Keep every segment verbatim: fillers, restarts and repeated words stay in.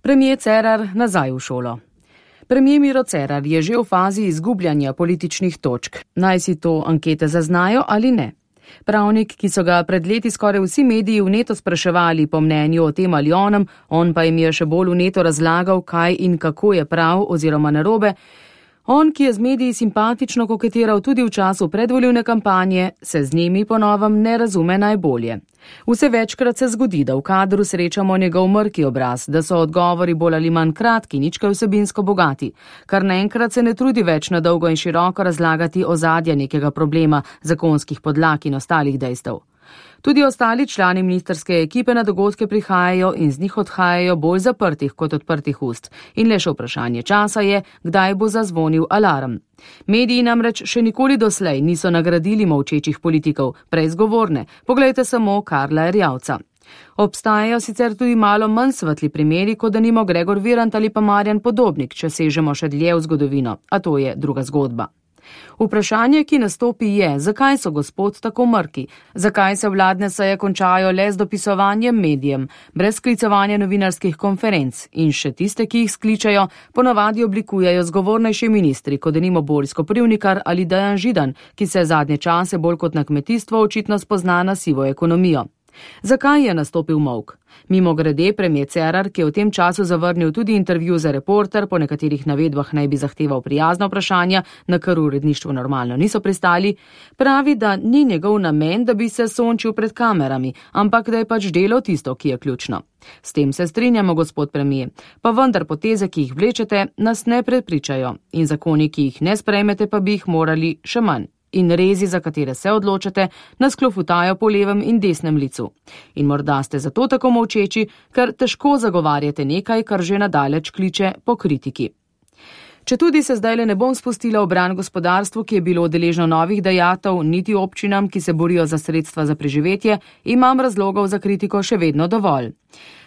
Premier Cerar nazaj v šolo. Premier Miro Cerar je že v fazi izgubljanja političnih točk. Naj si to ankete zaznajo ali ne. Pravnik, ki so ga pred leti skoraj vsi mediji vneto spraševali po mnenju o tem ali onem, on pa jim je še bolj vneto razlagal, kaj in kako je prav oziroma narobe. On, ki je z mediji simpatično koketiral tudi v času predvolilne kampanje, se z njimi po novem ne razume najbolje. Vse večkrat se zgodi, da v kadru srečamo njegov mrki obraz, da so odgovori bolj ali manj kratki, nič kaj vsebinsko bogati, kar naenkrat se ne trudi več na dolgo in široko razlagati ozadja nekega problema, zakonskih podlag in ostalih dejstev. Tudi ostali člani ministrske ekipe na dogodke prihajajo in z njih odhajajo bolj zaprtih kot odprtih ust. In le še vprašanje časa je, kdaj bo zazvonil alarm. Mediji namreč še nikoli doslej niso nagradili molčečih politikov, prej zgovorne. Poglejte samo Karla Erjavca. Obstajajo sicer tudi malo manj svetli primeri, kot denimo Gregor Virant ali pa Marjan Podobnik, če sežemo še dlje v zgodovino, a to je druga zgodba. Vprašanje, ki nastopi je, zakaj so gospod tako mrki, zakaj se vladne seje končajo le z dopisovanjem medijem, brez sklicovanja novinarskih konferenc in še tiste, ki jih skličajo, ponavadi oblikujejo zgovornejši ministri, kot denimo Boris Koprivnikar ali Dejan Židan, ki se zadnje čase bolj kot na kmetijstvo očitno spozna na sivo ekonomijo. Zakaj je nastopil molk? Mimo grede premier Cerar, ki je v tem času zavrnil tudi intervju za Reporter, po nekaterih navedbah naj bi zahteval prijazna vprašanja, na kar v uredništvu normalno niso pristali, pravi, da ni njegov namen, da bi se sončil pred kamerami, ampak da je pač delo tisto, ki je ključno. S tem se strinjamo, gospod premier, pa vendar poteze, ki jih vlečete, nas ne prepričajo in zakoni, ki jih ne sprejmete, pa bi jih morali še manj. In rezi, za katere se odločate, nas klofutajo po levem in desnem licu. In morda ste zato tako molčeči, ker težko zagovarjate nekaj, kar že nadaleč kliče po kritiki. Četudi se zdajle ne bom spustila v bran gospodarstvu, ki je bilo deležno novih dajatev, niti občinam, ki se borijo za sredstva za preživetje, imam razlogov za kritiko še vedno dovolj.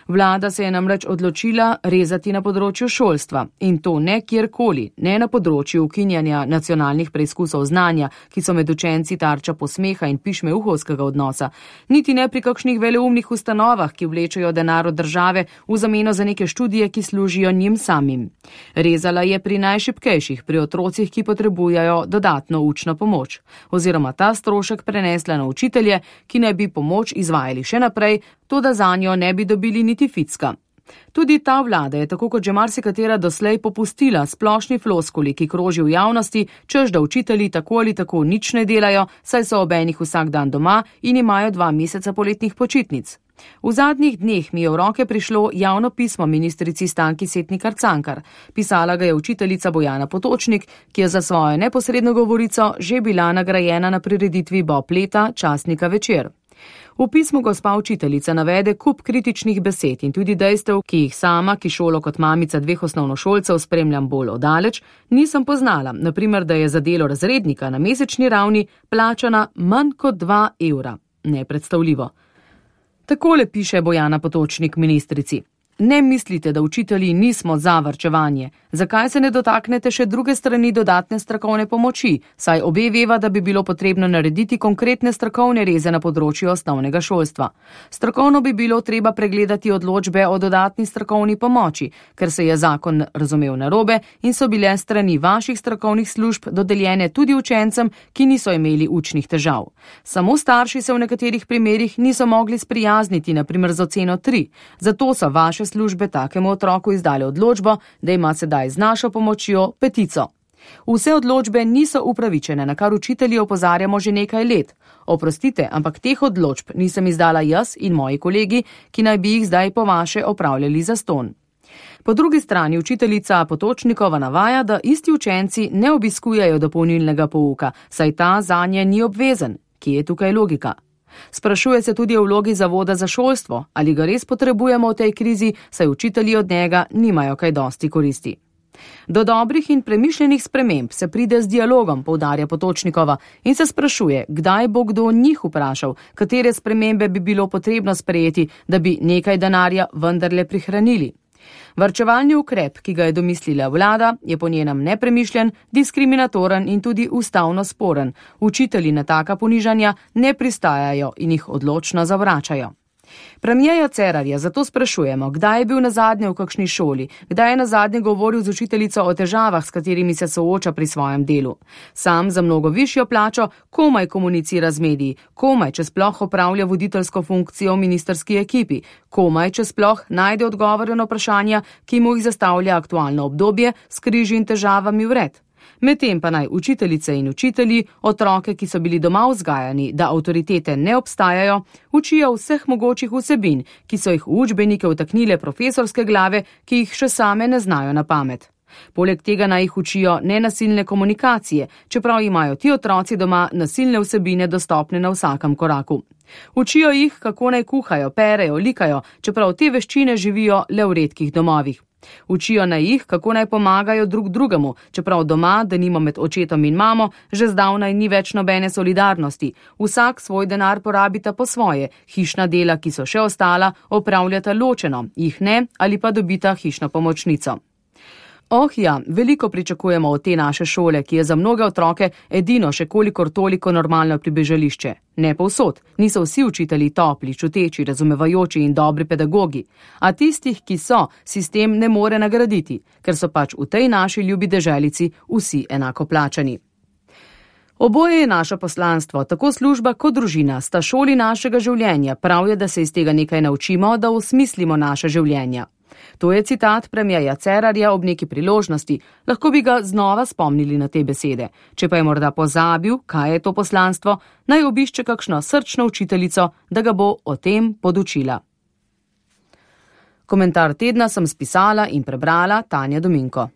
Vlada se je namreč odločila rezati na področju šolstva in to ne kjerkoli, ne na področju ukinjanja nacionalnih preizkusov znanja, ki so med učenci tarča posmeha in pišmeuhovskega odnosa, niti ne pri kakšnih veleumnih ustanovah, ki vlečejo denar od države v zameno za neke študije, ki služijo njim samim. Rezala je pri najšibkejših, pri otrocih, ki potrebujejo dodatno učno pomoč, oziroma ta strošek prenesla na učitelje, ki naj bi pomoč izvajali še naprej, toda zanjo ne bi dobili niti ficka. Tudi ta vlada je, tako kot že marsikatera doslej, popustila splošni floskuli, ki kroži v javnosti, češ da učitelji tako ali tako nič ne delajo, saj so obenih vsak dan doma in imajo dva meseca poletnih počitnic. V zadnjih dneh mi je v roke prišlo javno pismo ministrici Stanki Setnikar Cankar. Pisala ga je učiteljica Bojana Potočnik, ki je za svojo neposredno govorico že bila nagrajena na prireditvi Bob leta časnika Večer. V pismu gospa učiteljica navede kup kritičnih besed in tudi dejstev, ki jih sama, ki šolo kot mamica dveh osnovnošolcev spremljam bolj oddaleč, nisem poznala, naprimer, da je za delo razrednika na mesečni ravni plačana manj kot dva evra. Nepredstavljivo. Takole piše Bojana Potočnik ministrici. Ne mislite, da učitelji nismo za varčevanje. Zakaj se ne dotaknete še druge strani dodatne strokovne pomoči, saj obe veva, da bi bilo potrebno narediti konkretne strokovne reze na področju osnovnega šolstva. Strokovno bi bilo treba pregledati odločbe o dodatni strokovni pomoči, ker se je zakon razumel narobe in so bile strani vaših strokovnih služb dodeljene tudi učencem, ki niso imeli učnih težav. Samo starši se v nekaterih primerih niso mogli sprijazniti, na primer z oceno tri, zato so vaše službe takemu otroku izdale odločbo, da ima sedaj z našo pomočjo petico. Vse odločbe niso upravičene, na kar učitelji opozarjamo že nekaj let. Oprostite, ampak teh odločb nisem izdala jaz in moji kolegi, ki naj bi jih zdaj po vaše opravljali zastonj. Po drugi strani učiteljica Potočnikova navaja, da isti učenci ne obiskujejo dopolnilnega pouka, saj ta zanje ni obvezen. Kje je tukaj logika? Sprašuje se tudi o vlogi Zavoda za šolstvo, ali ga res potrebujemo v tej krizi, saj učitelji od njega nimajo kaj dosti koristi. Do dobrih in premišljenih sprememb se pride z dialogom, poudarja Potočnikova, in se sprašuje, kdaj bo kdo njih vprašal, katere spremembe bi bilo potrebno sprejeti, da bi nekaj denarja vendarle prihranili. Varčevalni ukrep, ki ga je domislila vlada, je po njenem nepremišljen, diskriminatoren in tudi ustavno sporen. Učitelji na taka ponižanja ne pristajajo in jih odločno zavračajo. Premierja Cerarja zato sprašujemo, kdaj je bil nazadnje v kakšni šoli, kdaj je nazadnje govoril z učiteljico o težavah, s katerimi se sooča pri svojem delu. Sam za mnogo višjo plačo komaj komunicira z mediji, komaj, če sploh opravlja voditeljsko funkcijo v ministrski ekipi, komaj, če sploh najde odgovore na vprašanja, ki mu jih zastavlja aktualno obdobje s križi in težavami vred. Medtem pa naj učiteljice in učitelji, otroke, ki so bili doma vzgajani, da avtoritete ne obstajajo, učijo vseh mogočih vsebin, ki so jih v učbenike vtaknile profesorske glave, ki jih še same ne znajo na pamet. Poleg tega naj jih učijo nenasilne komunikacije, čeprav imajo ti otroci doma nasilne vsebine dostopne na vsakem koraku. Učijo jih, kako naj kuhajo, perejo, likajo, čeprav te veščine živijo le v redkih domovih. Učijo naj jih, kako naj pomagajo drug drugemu, čeprav doma, da nima med očetom in mamo, že zdavnaj ni več nobene solidarnosti. Vsak svoj denar porabita po svoje, hišna dela, ki so še ostala, opravljata ločeno, jih ne ali pa dobita hišno pomočnico. Oh ja, veliko pričakujemo od te naše šole, ki je za mnoge otroke edino še kolikor toliko normalno pribežališče. Ne povsod, niso vsi učitelji topli, čuteči, razumevajoči in dobri pedagogi, a tistih, ki so, sistem ne more nagraditi, ker so pač v tej naši ljubi deželici vsi enako plačani. Oboje je naše poslanstvo, tako služba kot družina, sta šoli našega življenja, prav je, da se iz tega nekaj naučimo, da osmislimo naše življenja. To je citat premierja Cerarja ob neki priložnosti, lahko bi ga znova spomnili na te besede. Če pa je morda pozabil, kaj je to poslanstvo, naj obišče kakšno srčno učiteljico, da ga bo o tem podučila. Komentar tedna sem spisala in prebrala Tanja Dominko.